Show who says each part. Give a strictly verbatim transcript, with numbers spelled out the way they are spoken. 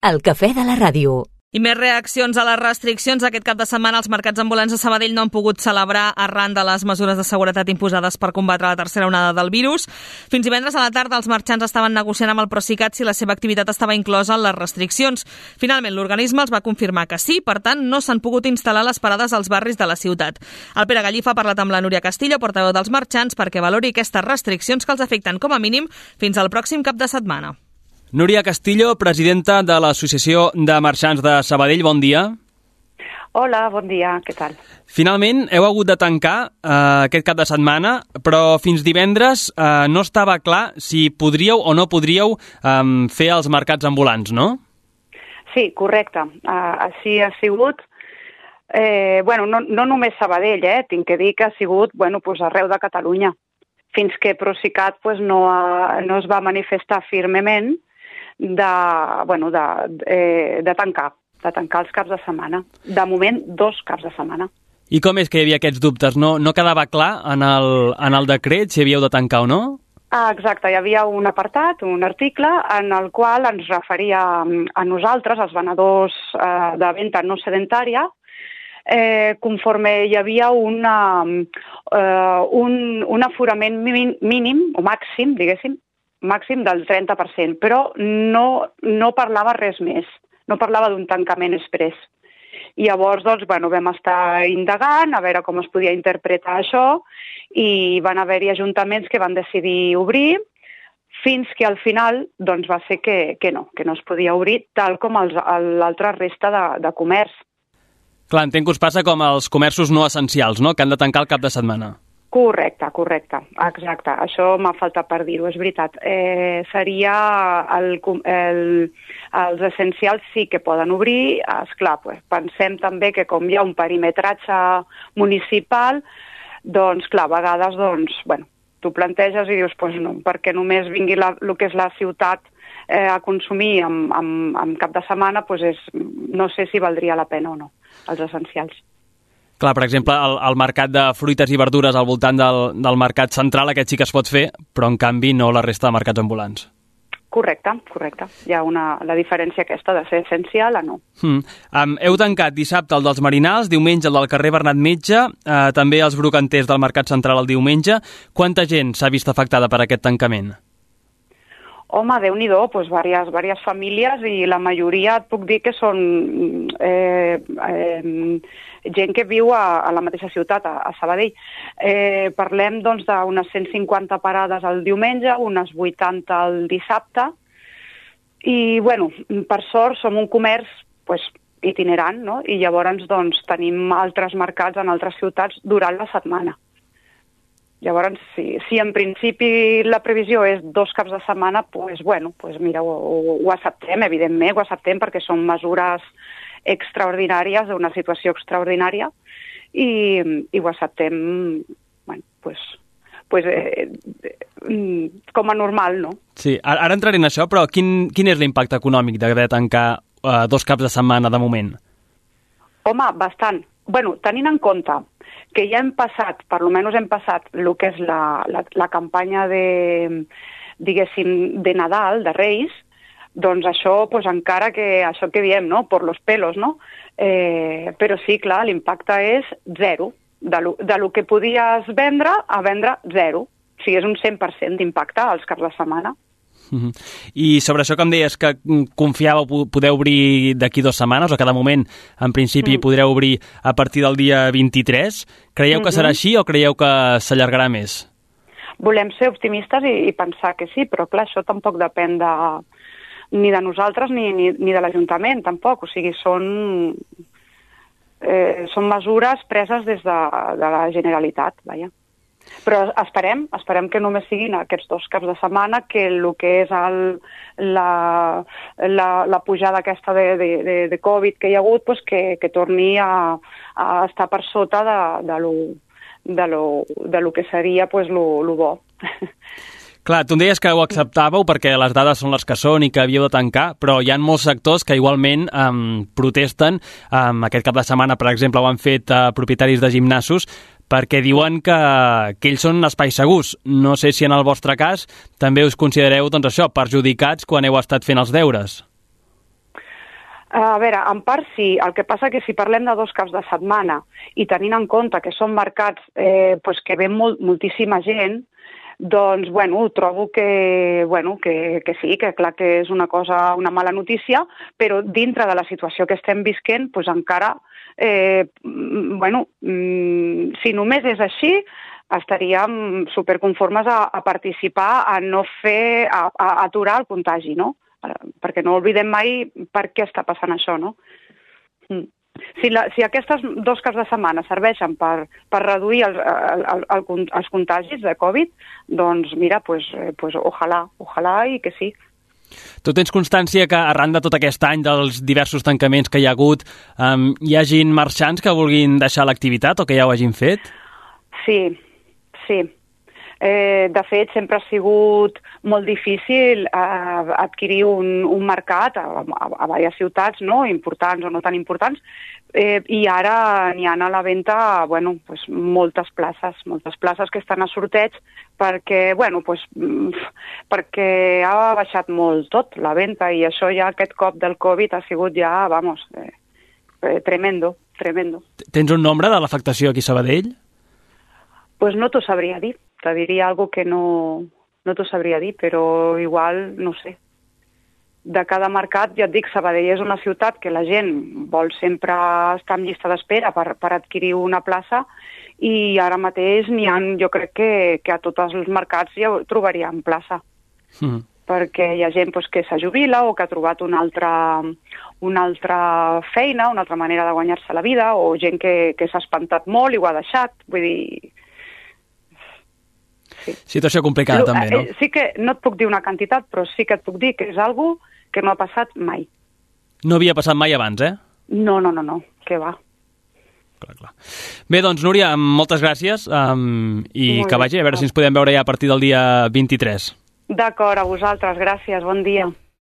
Speaker 1: El cafè de la ràdio.
Speaker 2: I més reaccions a les restriccions. Aquest cap de setmana els mercats ambulants de Sabadell no han pogut celebrar arran de les mesures de seguretat imposades per combatre la tercera onada del virus. Fins divendres a la tarda els marxants estaven negociant amb el Procicat si la seva activitat estava inclosa en les restriccions. Finalment l'organisme els va confirmar que sí, per tant no s'han pogut instal·lar les parades als barris de la ciutat. El Pere Gallifa ha parlat amb la Núria Castillo, portaveu dels marxants, perquè valori aquestes restriccions que els afecten com a mínim fins al pròxim cap de setmana.
Speaker 3: Núria Castillo, presidenta de l'Associació de Marxants de Sabadell, bon dia.
Speaker 4: Hola, bon dia, què tal?
Speaker 3: Finalment, heu hagut de tancar eh, aquest cap de setmana, però fins divendres eh, no estava clar si podríeu o no podríeu eh, fer els mercats ambulants, no?
Speaker 4: Sí, correcte. Uh, així ha sigut. Eh, bueno, no, no només Sabadell, eh? Tinc que dir que ha sigut bueno, pues arreu de Catalunya. Fins que Procicat pues, no, ha, no es va manifestar firmement de, bueno, de, eh, de tancar, de tancar els caps de setmana. De moment, dos caps de setmana.
Speaker 3: I com és que hi havia aquests dubtes? No, no quedava clar en el, en el decret si havíeu de tancar o no?
Speaker 4: Ah, exacte, hi havia un apartat, un article, en el qual ens referia a nosaltres, els venedors eh, de venda no sedentària, eh, conforme hi havia una, eh, un, un aforament mínim, o màxim, diguéssim, màxim del trenta per cent, però no, no parlava res més, no parlava d'un tancament express. I llavors doncs, bueno, vam estar indagant a veure com es podia interpretar això i van haver-hi ajuntaments que van decidir obrir fins que al final doncs, va ser que, que no, que no es podia obrir tal com l'altra resta de, de comerç.
Speaker 3: Clar, entenc que us passa com els comerços no essencials, no?, que han de tancar el cap de setmana.
Speaker 4: Correcte, correcte, exacte. Això m'ha faltat per dir-ho, és veritat. Eh, seria el, el, els essencials sí que poden obrir. Esclar, pues, pensem també que com hi ha un perimetratge municipal, doncs clar, a vegades doncs, bueno, tu planteges i dius, pues no, perquè només vingui la, el que és la ciutat eh, a consumir en, en, en cap de setmana, pues és, no sé si valdria la pena o no, els essencials.
Speaker 3: Clar, per exemple, el, el mercat de fruites i verdures al voltant del, del mercat central, aquest sí que es pot fer, però en canvi no la resta de mercats ambulants.
Speaker 4: Correcte, correcte. Hi ha una, la diferència aquesta de ser essencial o no.
Speaker 3: Hmm. Um, heu tancat dissabte el dels Marinals, diumenge el del carrer Bernat Metge, eh, també els brocanters del mercat central el diumenge. Quanta gent s'ha vist afectada per aquest tancament?
Speaker 4: Home, Déu-n'hi-do, doncs diverses, diverses famílies i la majoria et puc dir que són eh, eh, gent que viu a, a la mateixa ciutat, a, a Sabadell. Eh, parlem doncs d'unes cent cinquanta parades el diumenge, unes vuitanta el dissabte i, bueno, per sort som un comerç pues, itinerant, no? I llavors doncs, tenim altres mercats en altres ciutats durant la setmana. Llavors, si, si en principi la previsió és dos caps de setmana, doncs, bueno, pues mira, ho, ho, ho acceptem, evidentment, ho acceptem perquè són mesures extraordinàries, d'una situació extraordinària, i, i ho acceptem, bueno, pues, pues, eh, com a normal, no?
Speaker 3: Sí, ara entraré en això, però quin, quin és l'impacte econòmic d'haver de tancar eh, dos caps de setmana de moment?
Speaker 4: Home, bastant. Bueno, tenint en compte que ja hem passat, per almenys hem passat el que és la, la, la campanya de, diguéssim, de Nadal, de Reis, doncs això, pues encara que això que diem, no?, por los pelos, no? Eh, però sí, clar, l'impacte és zero. De lo, de lo que podies vendre a vendre zero. O sigui, és un cent per cent d'impacte als caps de setmana.
Speaker 3: Uh-huh. I sobre això que em deies que confiàveu poder obrir d'aquí dues setmanes, o que de moment en principi mm. podreu obrir a partir del dia vint-i-tres, creieu mm-hmm. que serà així o creieu que s'allargarà més?
Speaker 4: Volem ser optimistes i, i pensar que sí, però clar, això tampoc depèn de, ni de nosaltres ni, ni, ni de l'Ajuntament, tampoc. O sigui, són, eh, són mesures preses des de, de la Generalitat, vaja. Però esperem, esperem que només siguin aquests dos caps de setmana, que el que és el, la, la, la pujada aquesta de, de, de, de Covid que hi ha hagut, pues que, que torni a, a estar per sota de, de, lo, de, lo, de lo que seria pues, lo, lo bo.
Speaker 3: Clar, tu em deies que ho acceptàveu perquè les dades són les que són i que havíeu de tancar, però hi ha molts sectors que igualment um, protesten. Um, aquest cap de setmana, per exemple, ho han fet uh, propietaris de gimnasos, perquè diuen que, que ells són espais segurs. No sé si en el vostre cas també us considereu doncs, això, perjudicats quan heu estat fent els deures.
Speaker 4: A veure, en part sí, el que passa que si parlem de dos caps de setmana i tenint en compte que són mercats eh, pues que ve molt, moltíssima gent, doncs, bueno, trobo que, bueno, que, que sí, que clar que és una cosa, una mala notícia, però dintre de la situació que estem visquent, pues encara, eh, bueno, si només és així, estaríem superconformes a, a participar, a no fer, a, a aturar el contagi, no? Perquè no oblidem mai per què està passant això, no? Mm. Si, la, si aquestes dos caps de setmana serveixen per, per reduir el, el, el, el, els contagis de Covid, doncs mira, pues, pues, ojalà, ojalà i que sí.
Speaker 3: Tu tens constància que arran de tot aquest any dels diversos tancaments que hi ha hagut, um, hi ha gent marxants que vulguin deixar l'activitat o que ja ho hagin fet?
Speaker 4: Sí, sí. Eh, de fet, sempre ha sigut molt difícil eh, adquirir un, un mercat a, a, a diverses ciutats, no? Importants o no tan importants, eh, i ara n'hi ha a la venda bueno, pues, moltes places, moltes places que estan a sorteig perquè, bueno, pues, perquè ha baixat molt tot la venda i això ja aquest cop del Covid ha sigut ja, vamos, eh, eh, tremendo, tremendo.
Speaker 3: Tens un nombre de l'afectació aquí a Sabadell?
Speaker 4: Pues no t'ho sabria dir. Te diria algo que no, no t'ho sabria dir, però igual, no sé. De cada mercat, ja et dic, Sabadell és una ciutat que la gent vol sempre estar en llista d'espera per, per adquirir una plaça i ara mateix n'hi ha, jo crec que, que a tots els mercats ja trobaríem plaça. Mm. Perquè hi ha gent pues, que se jubila o que ha trobat una altra, una altra feina, una altra manera de guanyar-se la vida, o gent que, que s'ha espantat molt i ho ha deixat. Vull dir...
Speaker 3: Sí. Situació complicada, també, no?
Speaker 4: Sí que no et puc dir una quantitat, però sí que et puc dir que és algo que no ha passat mai.
Speaker 3: No havia passat mai abans, eh?
Speaker 4: No, no, no, no, que va.
Speaker 3: Clar, clar. Bé, doncs, Núria, moltes gràcies um, i Molt que vagi, a veure si ens podem veure ja a partir del dia vint-i-tres.
Speaker 4: D'acord, a vosaltres, gràcies, bon dia.